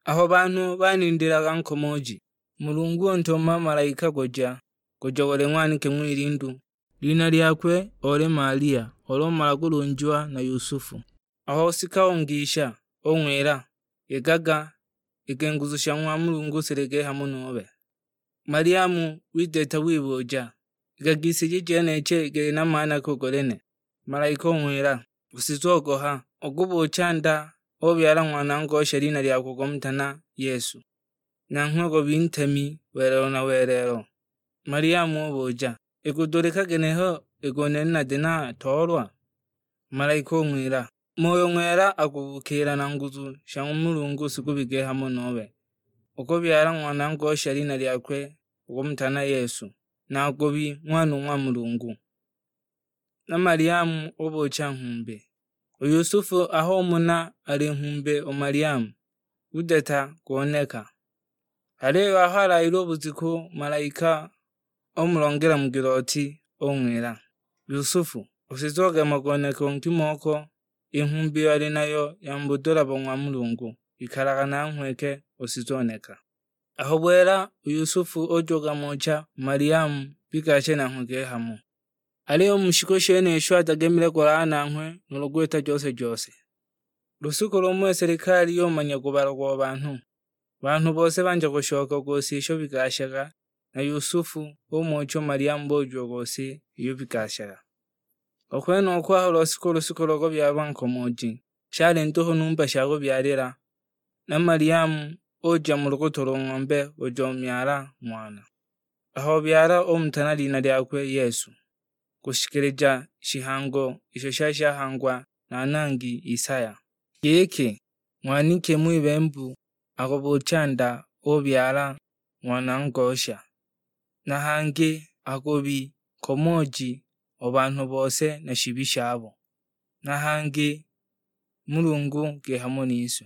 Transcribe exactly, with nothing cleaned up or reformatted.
Aho banhu banindilaga nkomoji, Mulungu untuma malaika kuja, kuja kuli ng'waniki ng'wilindu, lina lyakwe oli Maria, olo umala kulunjiwa na Yusufu. Aho usika ungisha, ung'wila, "Yegaga, iki nguzu sha ng'wa Mulungu silike hamo nube." Mariamu wideta wibuja, "Ikagisiji jenichi ikili na maana ki u kuli nene?" Malaika ung'wila, "Usizogoha, ukubucha nda, ubyala ng'wana ngosha lina lyakwe ukumutana Yesu. Nanghwe ukubi ntemi welelo na welelo." Mariamu ubuja, "Ikudulika ginehe iki u nene nati natoolwa?" Malaika ung'wila, "Moyo Ng'wela akubukiila na nguzu sha ng'wa Mulungu sikubike hamo nube. Ukubyala ng'wana ngosha lina lyakwe ukumutana Yesu, na akubi ng'wana u ng'wa Mulungu." Na Mariamu ubucha nghumbi. U Yusufu aho umona ali nghumbi u Mariamu, udeta kuneka. Aliyo aho alaile u bujiku, malaika umulongela mu giloti, ung'wila, "Yusufu, usizoge magoneko nkimo ko, i nghumbi iyo ali nayo ya mu budula bo ng'wa Mulungu, ikalaga nanghwe ke usizoneka." Aho bwela, u Yusufu ujoga mocha u Mariamu bigashe nanghwe kihamo. Aliyo u mu shiku shenisho atagemile kulala nanghwe nuulu gwita jose-jose. Lusuku lumo i selikali yumanya kubala kwa banhu. Banhu bose bandya kushoka ku si isho bigashaga, na Yusufu umucha u Mariamu bujuuko si iyo bigashaga. U kwenuko aho lwasika u lusuku lo kubyalwa nkomoji, shali nduhu numba sha kubyalila, na Mariamu uja mu lukutu lo ng'ombe uja umyala ng'wana. Aho ubyala umutana lina lyakwe Yesu, kushikilija shihango isho shali shahangwa na nangi Isaya, giki, "Ng'waniki ng'wibembu akubucha nda ubyala ng'wana ngosha, na hangi akubi nkomooji o banhu bose na shibi shabo, na hangi Mulungu ki hamo nise."